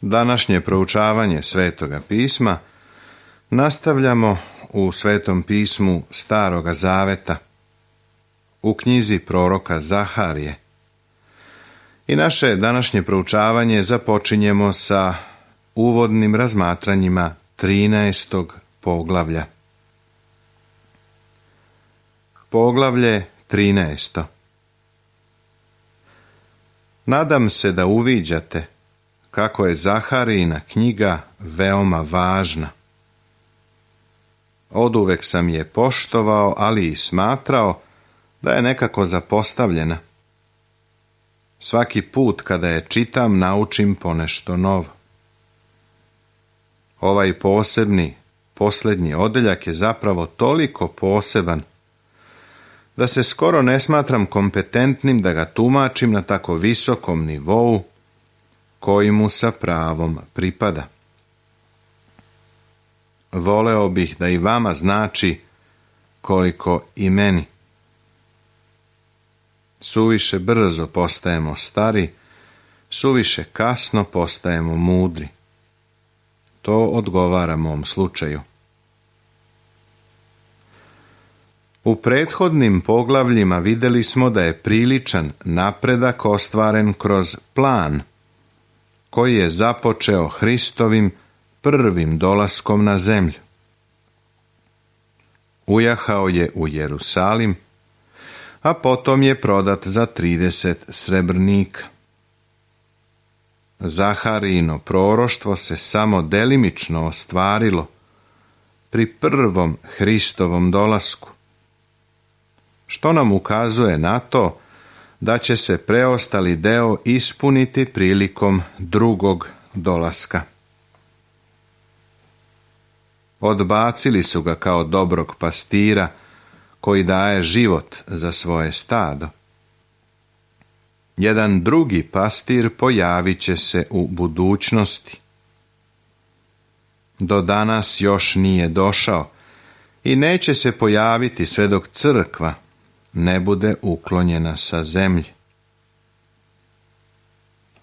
Današnje proučavanje Svetoga pisma nastavljamo u Svetom pismu Staroga Zaveta, u knjizi proroka Zaharije. I naše današnje proučavanje započinjemo sa uvodnim razmatranjima 13. poglavlja. Poglavlje 13. Nadam se da uviđate kako je Zaharijina knjiga veoma važna. Oduvek sam je poštovao, ali i smatrao da je nekako zapostavljena. Svaki put kada je čitam, naučim ponešto novo. Ovaj posebni, posljednji odeljak je zapravo toliko poseban da se skoro ne smatram kompetentnim da ga tumačim na tako visokom nivou koji mu sa pravom pripada. Voleo bih da i vama znači koliko i meni. Suviše brzo postajemo stari, suviše kasno postajemo mudri. To odgovara mom slučaju. U prethodnim poglavljima vidjeli smo da je priličan napredak ostvaren kroz plan koji je započeo Hristovim prvim dolaskom na zemlju. Ujahao je u Jerusalim, a potom je prodat za 30 srebrnika. Zaharijino proroštvo se samo delimično ostvarilo pri prvom Hristovom dolasku, što nam ukazuje na to da će se preostali deo ispuniti prilikom drugog dolaska. Odbacili su ga kao dobrog pastira koji daje život za svoje stado. Jedan drugi pastir pojavit će se u budućnosti. Do danas još nije došao i neće se pojaviti sve dok crkva ne bude uklonjena sa zemlje.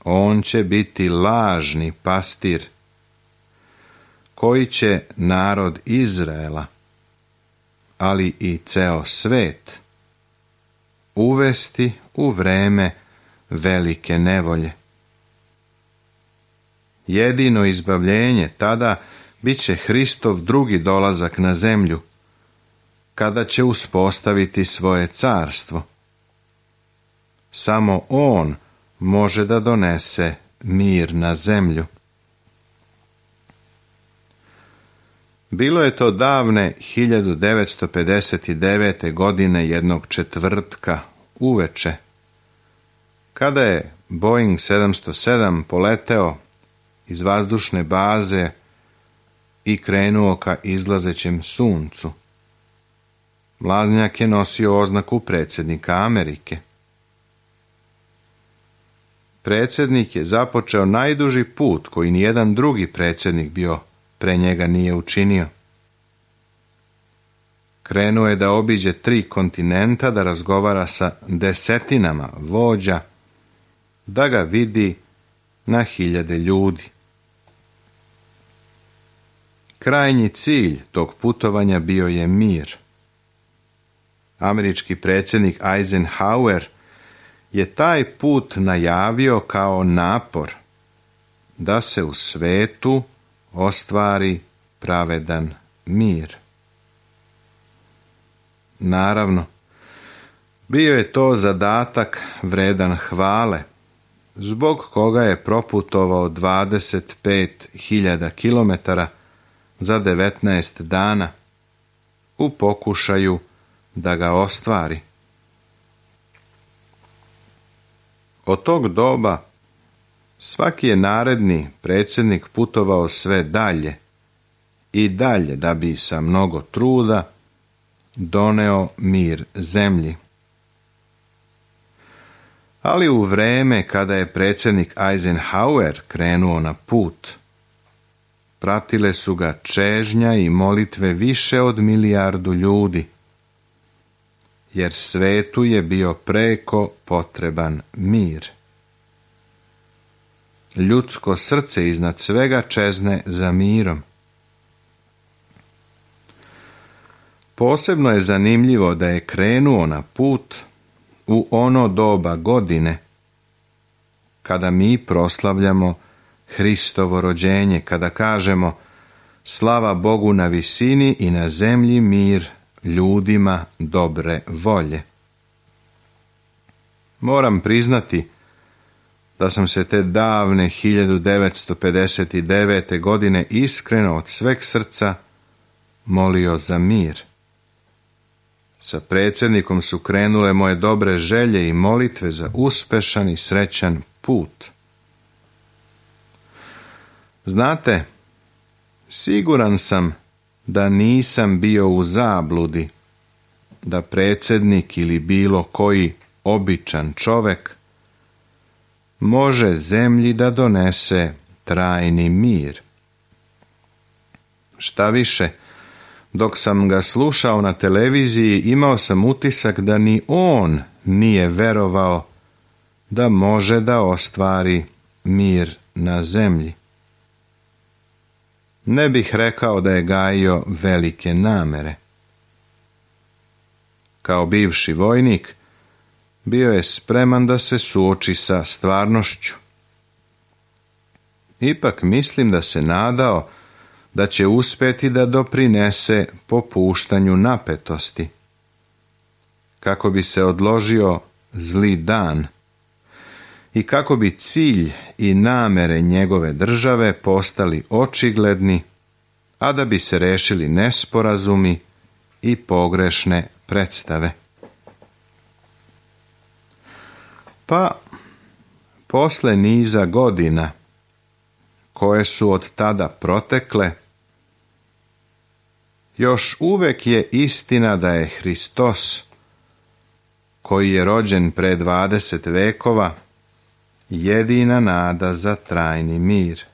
On će biti lažni pastir koji će narod Izraela, ali i ceo svet, uvesti u vreme velike nevolje. Jedino izbavljenje tada bit će Hristov drugi dolazak na zemlju, kada će uspostaviti svoje carstvo. Samo on može da donese mir na zemlju. Bilo je to davne 1959. godine jednog četvrtka uveče, kada je Boeing 707 poleteo iz vazdušne baze i krenuo ka izlazećem suncu. Mlaznjak je nosio oznaku predsjednika Amerike. Predsjednik je započeo najduži put koji nijedan drugi predsjednik bio pre njega nije učinio. Krenuo je da obiđe 3 kontinenta, da razgovara sa desetinama vođa, da ga vidi na hiljade ljudi. Krajnji cilj tog putovanja bio je mir. Američki predsjednik Eisenhower je taj put najavio kao napor da se u svetu ostvari pravedan mir. Naravno, bio je to zadatak vredan hvale, zbog koga je proputovao 25.000 kilometara za 19 dana u pokušaju da ga ostvari. Od tog doba svaki je naredni predsjednik putovao sve dalje i dalje da bi sa mnogo truda doneo mir zemlji. Ali u vreme kada je predsjednik Eisenhower krenuo na put, pratile su ga čežnja i molitve više od 1 milijardu ljudi, jer svetu je bio preko potreban mir. ljudsko srce iznad svega čezne za mirom. Posebno je zanimljivo da je krenuo na put u ono doba godine kada mi proslavljamo Hristovo rođenje, kada kažemo slava Bogu na visini i na zemlji mir ljudima dobre volje. Moram priznati da sam se te davne 1959. godine iskreno od sveg srca molio za mir. Sa predsjednikom su krenule moje dobre želje i molitve za uspešan i srećan put. Znate, siguran sam da nisam bio u zabludi, da predsjednik ili bilo koji običan čovek može zemlji da donese trajni mir. Šta više, dok sam ga slušao na televiziji, imao sam utisak da ni on nije verovao da može da ostvari mir na zemlji. Ne bih rekao da je gajio velike namere. Kao bivši vojnik, bio je spreman da se suoči sa stvarnošću. Ipak mislim da se nadao da će uspjeti da doprinese popuštanju napetosti, kako bi se odložio zli dan i kako bi cilj i namere njegove države postali očigledni, a da bi se rešili nesporazumi i pogrešne predstave. Pa, posle niza godina koje su od tada protekle, još uvek je istina da je Hristos, koji je rođen pre 20 vekova, jedina nada za trajni mir.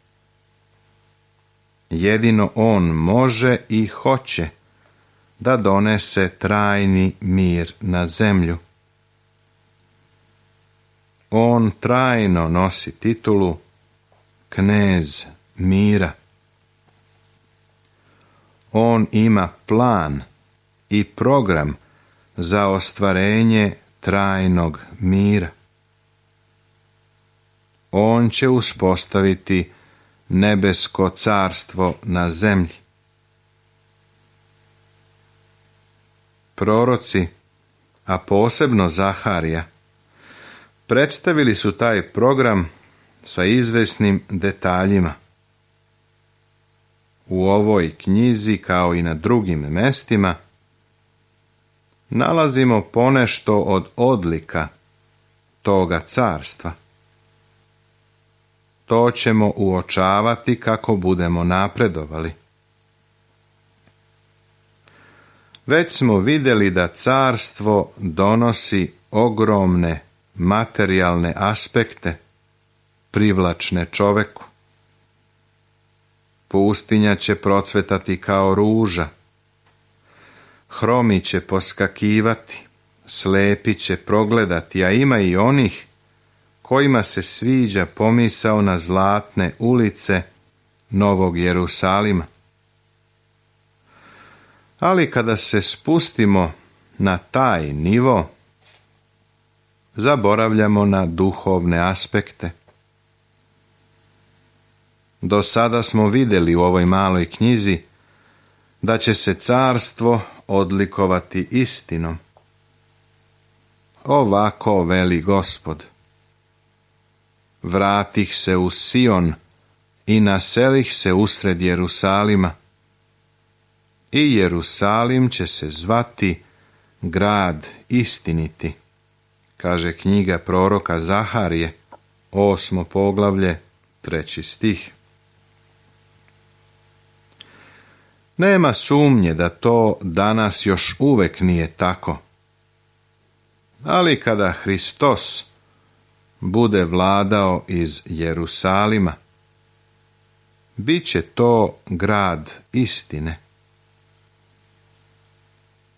Jedino on može i hoće da donese trajni mir na zemlju. On trajno nosi titulu knez mira. On ima plan i program za ostvarenje trajnog mira. On će uspostaviti nebesko carstvo na zemlji. Proroci, a posebno Zaharija, predstavili su taj program sa izvesnim detaljima. U ovoj knjizi, kao i na drugim mestima, nalazimo ponešto od odlika toga carstva. To ćemo uočavati kako budemo napredovali. Već smo vidjeli da carstvo donosi ogromne materijalne aspekte privlačne čoveku. Pustinja će procvetati kao ruža, hromi će poskakivati, slepi će progledati, a ima i onih kojima se sviđa pomisao na zlatne ulice Novog Jerusalima. Ali kada se spustimo na taj nivo, zaboravljamo na duhovne aspekte. Do sada smo vidjeli u ovoj maloj knjizi da će se carstvo odlikovati istinom. Ovako veli Gospod: vratih se u Sion i naselih se usred Jerusalima, i Jerusalim će se zvati grad istiniti, kaže knjiga proroka Zaharije, 8. poglavlje, 3. stih. Nema sumnje da to danas još uvek nije tako. Ali kada Hristos bude vladao iz Jerusalima, bit će to grad istine.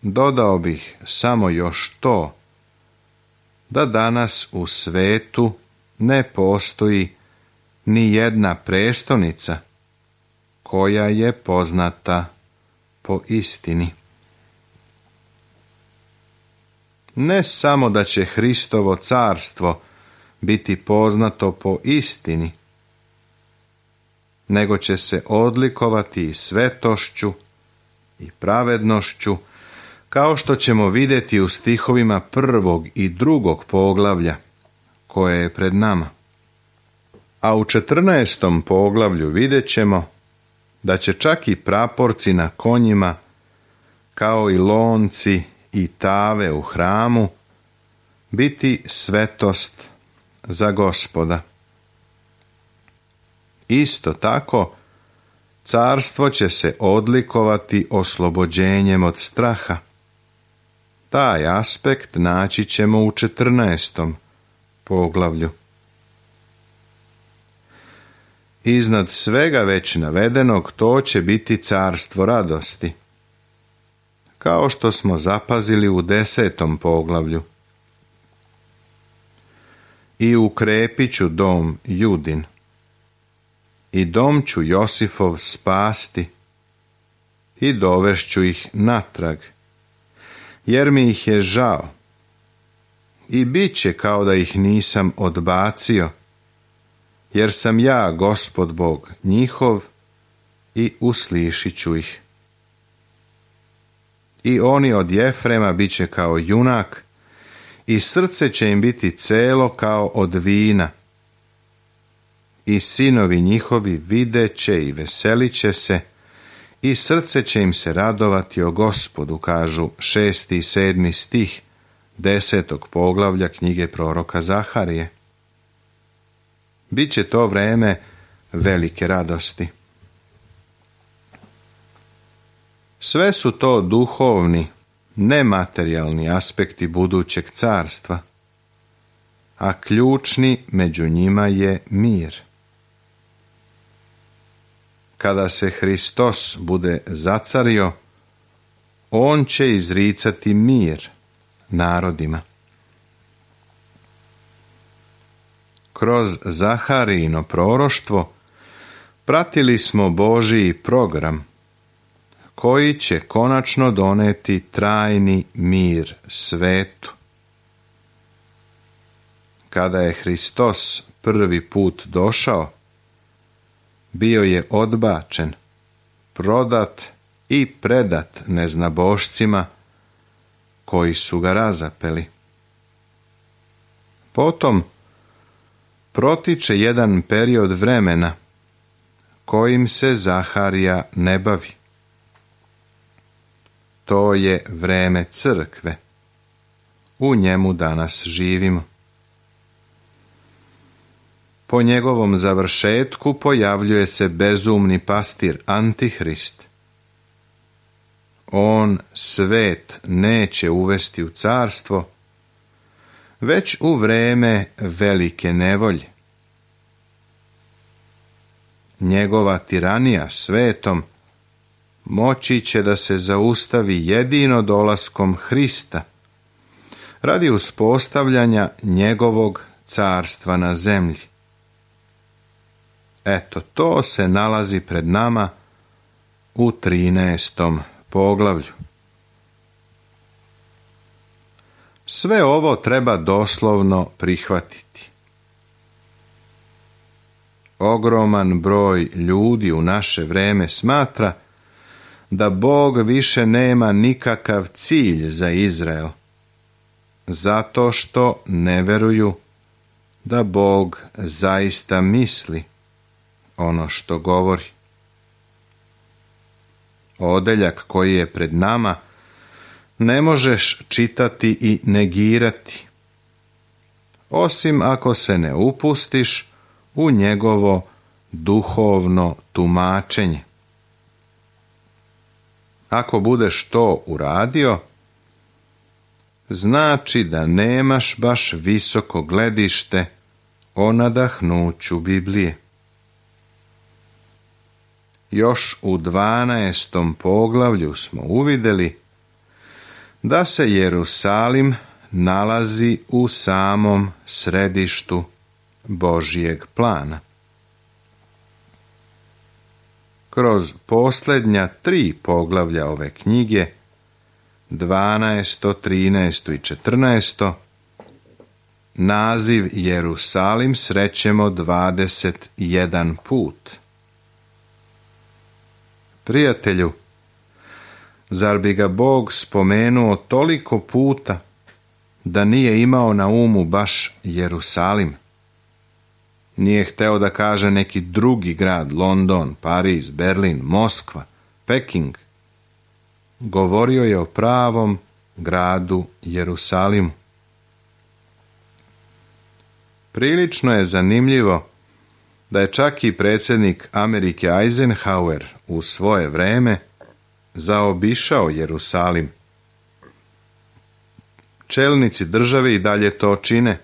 Dodao bih samo još to, da danas u svetu ne postoji ni jedna prestolnica koja je poznata po istini. Ne samo da će Hristovo carstvo biti poznato po istini, nego će se odlikovati i svetošću i pravednošću, kao što ćemo vidjeti u stihovima 1. i 2. poglavlja koje je pred nama. A u 14. poglavlju vidjet ćemo da će čak i praporci na konjima, kao i lonci i tave u hramu, biti svetost za Gospoda. Isto tako, carstvo će se odlikovati oslobođenjem od straha. Taj aspekt naći ćemo u 14. poglavlju. Iznad svega već navedenog, to će biti carstvo radosti, kao što smo zapazili u 10. poglavlju. I ukrepit ću dom Judin, i dom ću Josifov spasti, i dovešću ih natrag, jer mi ih je žao, i bit će kao da ih nisam odbacio, jer sam ja Gospod Bog njihov i uslišit ću ih. I oni od Jefrema bit će kao junak, i srce će im biti celo kao od vina. I sinovi njihovi vidjet će i veselit će se, i srce će im se radovati o Gospodu, kažu 6. i 7. stih 10. poglavlja knjige proroka Zaharije. Biće to vreme velike radosti. Sve su to duhovni, nematerijalni aspekti budućeg carstva, a ključni među njima je mir. Kada se Hristos bude zacario, on će izricati mir narodima. Kroz Zaharijino proroštvo pratili smo Božiji program, koji će konačno doneti trajni mir svetu. Kada je Hristos prvi put došao, bio je odbačen, prodat i predat neznabošcima koji su ga razapeli. Potom protiče jedan period vremena kojim se Zaharija ne bavi. To je vreme crkve. U njemu danas živimo. Po njegovom završetku pojavljuje se bezumni pastir Antihrist. On svet neće uvesti u carstvo, već u vreme velike nevolje. Njegova tiranija svetom moći će da se zaustavi jedino dolaskom Hrista, radi uspostavljanja njegovog carstva na zemlji. Eto, to se nalazi pred nama u 13. poglavlju. Sve ovo treba doslovno prihvatiti. Ogroman broj ljudi u naše vreme smatra da Bog više nema nikakav cilj za Izrael, zato što ne veruju da Bog zaista misli ono što govori. Odeljak koji je pred nama ne možeš čitati i negirati, osim ako se ne upustiš u njegovo duhovno tumačenje. Ako budeš to uradio, znači da nemaš baš visoko gledište o nadahnuću Biblije. Još u 12. poglavlju smo uvidjeli da se Jerusalim nalazi u samom središtu Božijeg plana. kroz posljednja 3 poglavlja ove knjige, 12., 13. i 14. naziv Jerusalim srećemo 21 put. Prijatelju, zar bi ga Bog spomenuo toliko puta da nije imao na umu baš Jerusalim? Nije hteo da kaže neki drugi grad, London, Pariz, Berlin, Moskva, Peking. Govorio je o pravom gradu Jerusalimu. Prilično je zanimljivo da je čak i predsjednik Amerike Eisenhower u svoje vreme zaobišao Jerusalim. Čelnici države i dalje to čine.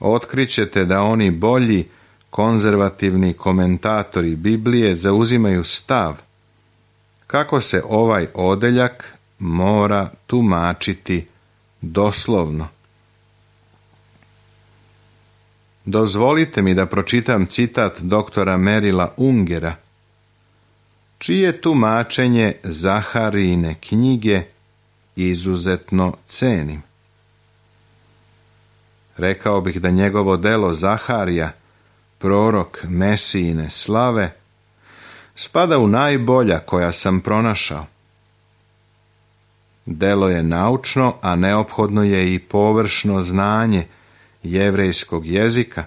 Otkrićete da oni bolji konzervativni komentatori Biblije zauzimaju stav kako se ovaj odeljak mora tumačiti doslovno. Dozvolite mi da pročitam citat doktora Merila Ungera, čije tumačenje Zaharijine knjige izuzetno cenim. Rekao bih da njegovo delo Zaharija, prorok Mesijine slave, spada u najbolja koja sam pronašao. Delo je naučno, a neophodno je i površno znanje jevrejskog jezika,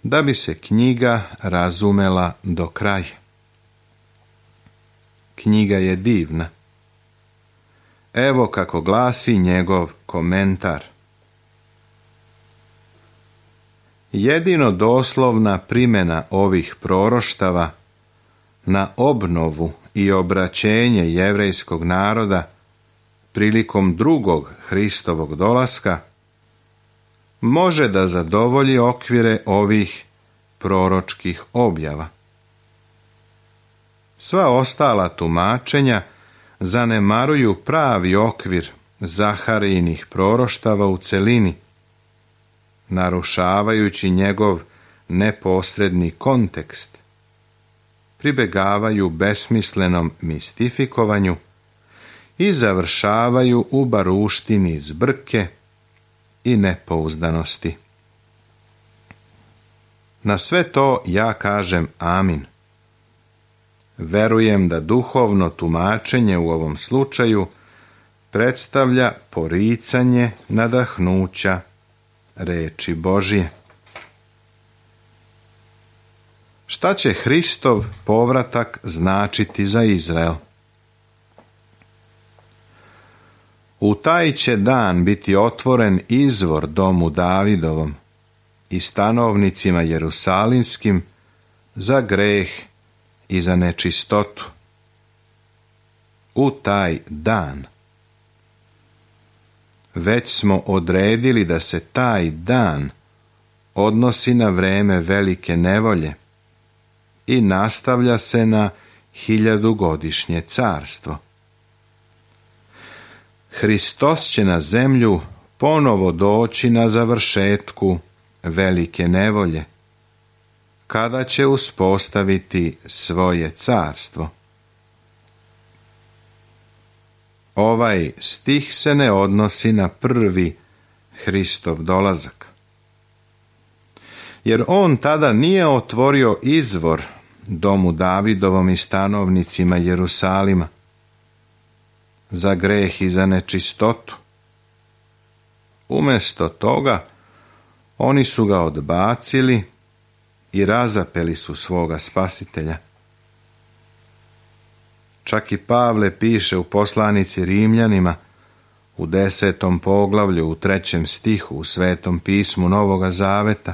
da bi se knjiga razumela do kraja. Knjiga je divna. Evo kako glasi njegov komentar. Jedino doslovna primjena ovih proroštava na obnovu i obraćenje jevrejskog naroda prilikom drugog Hristovog dolaska može da zadovolji okvire ovih proročkih objava. Sva ostala tumačenja zanemaruju pravi okvir Zaharijinih proroštava u celini, narušavajući njegov neposredni kontekst, pribegavaju besmislenom mistifikovanju i završavaju u baruštini zbrke i nepouzdanosti. Na sve to ja kažem amin. Verujem da duhovno tumačenje u ovom slučaju predstavlja poricanje nadahnuća reči Božje. Šta će Hristov povratak značiti za Izrael? U taj će dan biti otvoren izvor domu Davidovom i stanovnicima jerusalimskim za greh i za nečistotu. U taj dan. Već smo odredili da se taj dan odnosi na vreme velike nevolje i nastavlja se na 1000-godišnje carstvo. Hristos će na zemlju ponovo doći na završetku velike nevolje, kada će uspostaviti svoje carstvo. Ovaj stih se ne odnosi na prvi Hristov dolazak, jer on tada nije otvorio izvor domu Davidovom i stanovnicima Jerusalima za greh i za nečistotu. Umjesto toga, oni su ga odbacili i razapeli su svoga spasitelja. Čak i Pavle piše u poslanici Rimljanima u 10. poglavlju u 3. stihu u Svetom pismu Novoga Zaveta.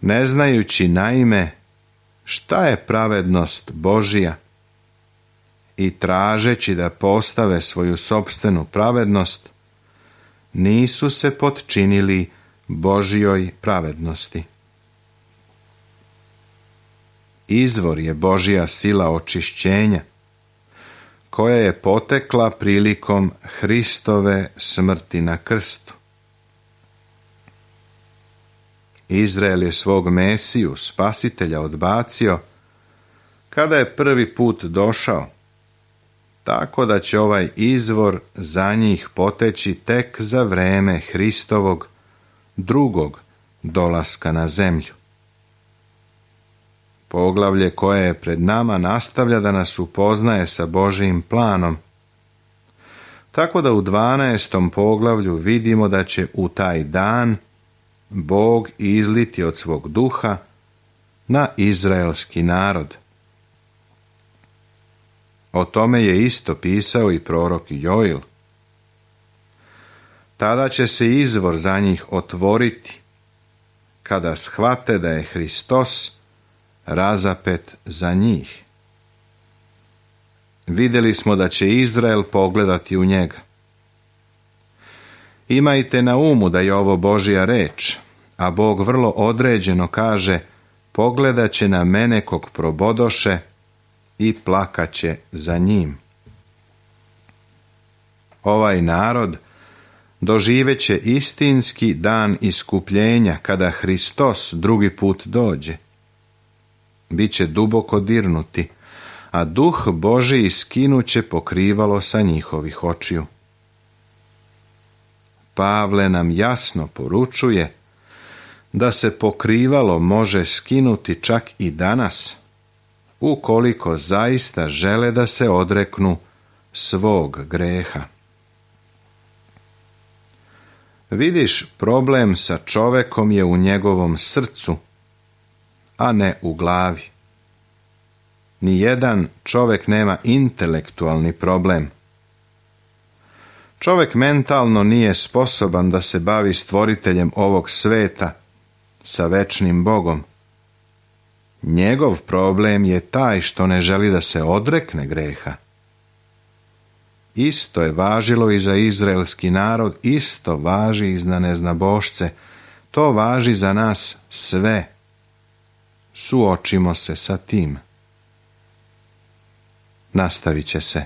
Ne znajući naime šta je pravednost Božija i tražeći da postave svoju sopstvenu pravednost, nisu se potčinili Božjoj pravednosti. Izvor je Božja sila očišćenja, koja je potekla prilikom Hristove smrti na krstu. Izrael je svog Mesiju, spasitelja, odbacio kada je prvi put došao, tako da će ovaj izvor za njih poteći tek za vreme Hristovog drugog dolaska na zemlju. Poglavlje koje je pred nama nastavlja da nas upoznaje sa Božijim planom, tako da u 12. poglavlju vidimo da će u taj dan Bog izliti od svog duha na izraelski narod. O tome je isto pisao i prorok Joil. Tada će se izvor za njih otvoriti, kada shvate da je Hristos razapet za njih. Vidjeli smo da će Izrael pogledati u njega. Imajte na umu da je ovo Božja reč, a Bog vrlo određeno kaže: pogledat će na mene kog probodoše i plakaće za njim. Ovaj narod doživeće istinski dan iskupljenja kada Hristos drugi put dođe. Biće duboko dirnuti, a duh Božji skinuće pokrivalo sa njihovih očiju. Pavle nam jasno poručuje da se pokrivalo može skinuti čak i danas, ukoliko zaista žele da se odreknu svog greha. Vidiš, problem sa čovekom je u njegovom srcu, a ne u glavi. Nijedan čovek nema intelektualni problem. Čovek mentalno nije sposoban da se bavi stvoriteljem ovog sveta, sa večnim Bogom. Njegov problem je taj što ne želi da se odrekne greha. Isto je važilo i za izraelski narod, isto važi i za neznabošce. To važi za nas sve. Suočimo se sa tim. Nastavit će se.